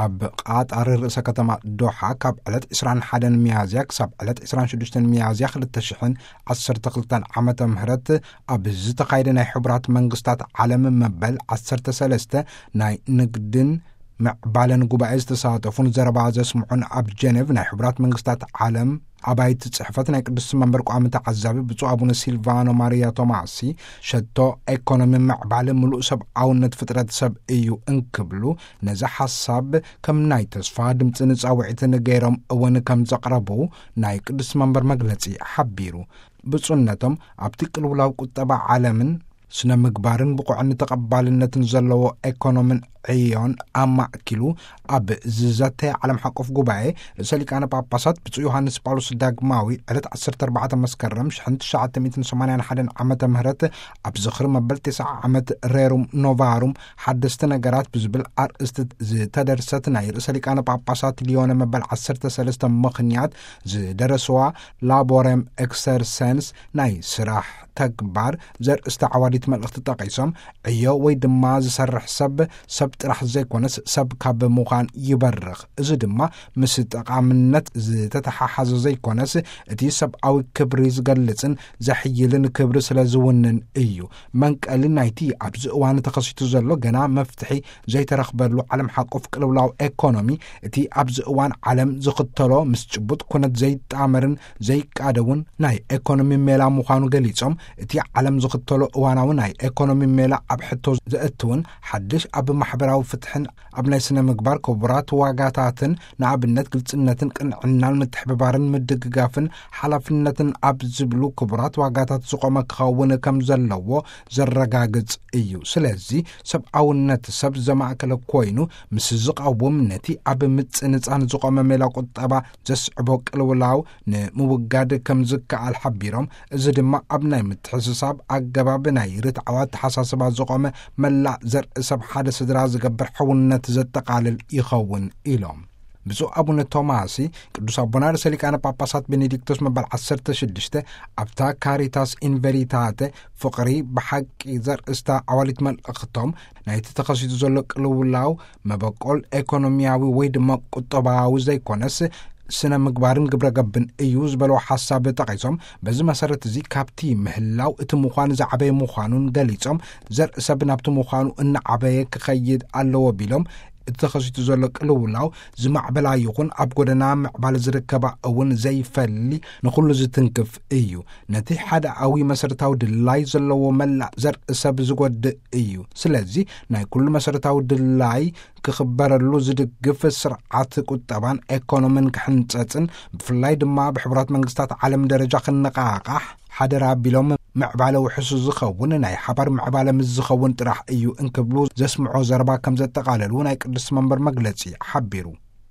ኣብ ቃጣር ርእሰ ከተማ ዶሓ ካብ ዕለት ዕስራን ሓደን ሚያዝያ ክሳብ ዕለት ዕስራን ሽዱሽተን ሚያዝያ ክልተ ሽሕን ዓሰርተ ክልተን ዓመተ ምህረት ኣብ ዝተኻየደ ናይ ሕቡራት መንግስታት ዓለም መበል ዓሰርተ ሰለስተ ናይ ንግድን ምዕባለን ጉባኤ ዝተሳተፉን ዘረባ ዘስምዑን ኣብ ጀኔቭ ናይ ሕቡራት መንግስታት ዓለም ኣባይቲ ጽሕፈት ናይ ቅዱስ መንበር ቋሚ ተዓዛቢ ብፁዕ ኣቡነ ሲልቫኖ ማሪያ ቶማሲ፣ ሸቶ ኤኮኖሚ ምዕባል ምሉእ ሰብኣውነት ፍጥረት ሰብ እዩ እንክብሉ፣ ነዚ ሓሳብ ከም ናይ ተስፋ ድምፅን ጻውዒትን ገይሮም እውን ከም ዘቕረቡ ናይ ቅዱስ መንበር መግለጺ ሓቢሩ። ብፁዕነቶም ኣብቲ ቅልውላው ቁጠባ ዓለምን ስነ ምግባርን ብቑዕን ተቐባልነትን ዘለዎ ኤኮኖምን ዕዮን ኣማእኪሉ ኣብ ዝዘተ ዓለም ሓቆፍ ጉባኤ ርእሰ ሊቃነ ጳጳሳት ብፁዕ ዮሃንስ ጳውሎስ ዳግማዊ ዕለት ዓሰርተ ኣርባዕተ መስከረም ሽሕን ትሽዓተ ሚእትን ሰማንያን ሓደን ዓመተ ምህረት ኣብ ዝኽሪ መበል ተስዓ ዓመት ሬሩም ኖቫሩም ሓደስቲ ነገራት ብዝብል ኣርእስቲ ዝተደርሰት ናይ ርእሰ ሊቃነ ጳጳሳት ሊዮነ መበል ዓሰርተ ሰለስተ ምኽንያት ዝደረስዋ ላቦሬም ኤክሰርሰንስ ናይ ስራሕ ተግባር ዘርእስታ ዓዋዲት መልእኽቲ ጠቒሶም፣ ዕዮ ወይ ድማ ዝሰርሕ ሰብ፣ ሰብ ጥራሕ ዘይኮነስ ሰብ ካብ ምዃን ይበርኽ። እዚ ድማ ምስ ጠቓምነት ዝተተሓሓዘ ዘይኮነስ እቲ ሰብኣዊ ክብሪ ዝገልጽን ዘሕይልን ክብሪ ስለ ዝውንን እዩ። መንቀሊ ናይቲ ኣብዚ እዋን ተኸሲቱ ዘሎ ገና መፍትሒ ዘይተረኽበሉ ዓለም ሓቆፍ ቅልውላው ኤኮኖሚ፣ እቲ ኣብዚ እዋን ዓለም ዝኽተሎ ምስ ጭቡጥ ኩነት ዘይጣመርን ዘይቃደውን ናይ ኤኮኖሚ ሜላ ምዃኑ ገሊጾም፣ እቲ ዓለም ዝኽተሎ እዋናዊ ናይ ኤኮኖሚ ሜላ ኣብ ሕቶ ዘእትውን ሓድሽ ኣብ ማሕበራዊ ፍትሕን ኣብ ናይ ስነ ምግባር ክቡራት ዋጋታትን፣ ንኣብነት ግልጽነትን ቅንዕናን ምትሕብባርን ምድግጋፍን ሓላፍነትን ኣብ ዝብሉ ክቡራት ዋጋታት ዝቖመ ክኸውን ከም ዘለዎ ዘረጋግጽ እዩ። ስለዚ ሰብኣውነት ሰብ ዘማእከለ ኮይኑ ምስ ዝቐውም፣ ነቲ ኣብ ምጽንጻን ዝቖመ ሜላ ቁጠባ ዘስዕቦ ቅልውላው ንምውጋድ ከም ዝከኣል ሓቢሮም፣ እዚ ድማ ኣብ ናይ ምትሕስሳብ ኣገባብ ናይ ርትዓዊ ኣተሓሳስባ ዝቖመ መላእ ዘርኢ ሰብ ሓደ ስድራ ዝገብር ሕውነት ዘጠቓልል ይኸውን ኢሎም። ብፁዕ ኣቡነ ቶማሲ ቅዱስ ኣቦና ርእሰ ሊቃነ ጳጳሳት ቤኔዲክቶስ መበል ዓሰርተ ሽዱሽተ ኣብታ ካሪታስ ኢንቨሪታተ ፍቕሪ ብሓቂ ዘርእስታ ዓዋሊት መልእኽቶም፣ ናይቲ ተኸሲቱ ዘሎ ቅልውላው መበቆል ኤኮኖሚያዊ ወይ ድማ ቁጠባዊ ዘይኮነስ ስነ ምግባርን ግብረ ገብን እዩ ዝበለዎ ሓሳብ ጠቒሶም፣ በዚ መሰረት እዚ ካብቲ ምህላው እቲ ምዃን ዝዓበየ ምዃኑን ገሊጾም፣ ዘርኢ ሰብ ናብቲ ምዃኑ እናዓበየ ክኸይድ ኣለዎ ቢሎም፣ እቲ ተኸሲቱ ዘሎ ቅልውላው ዝማዕበላ ይኹን ኣብ ጎደና ምዕባለ ዝርከባ እውን ዘይፈሊ ንኹሉ ዝትንክፍ እዩ። ነቲ ሓደኣዊ መሰረታዊ ድላይ ዘለዎ መላእ ዘርኢ ሰብ ዝጎድእ እዩ። ስለዚ ናይ ኩሉ መሰረታዊ ድላይ ክኽበረሉ ዝድግፍ ስርዓት ቁጠባን ኤኮኖምን ክሕንጸጽን፣ ብፍላይ ድማ ብሕቡራት መንግስታት ዓለም ደረጃ ክነቓቓሕ ሓደራ ኣቢሎም፣ ምዕባለ ውሕሱ ዝኸውን ናይ ሓባር ምዕባለ ምስ ዝኸውን ጥራሕ እዩ እንክብሉ ዘስምዖ ዘረባ ከም ዘጠቓለሉ ናይ ቅዱስ መንበር መግለጺ ሓቢሩ።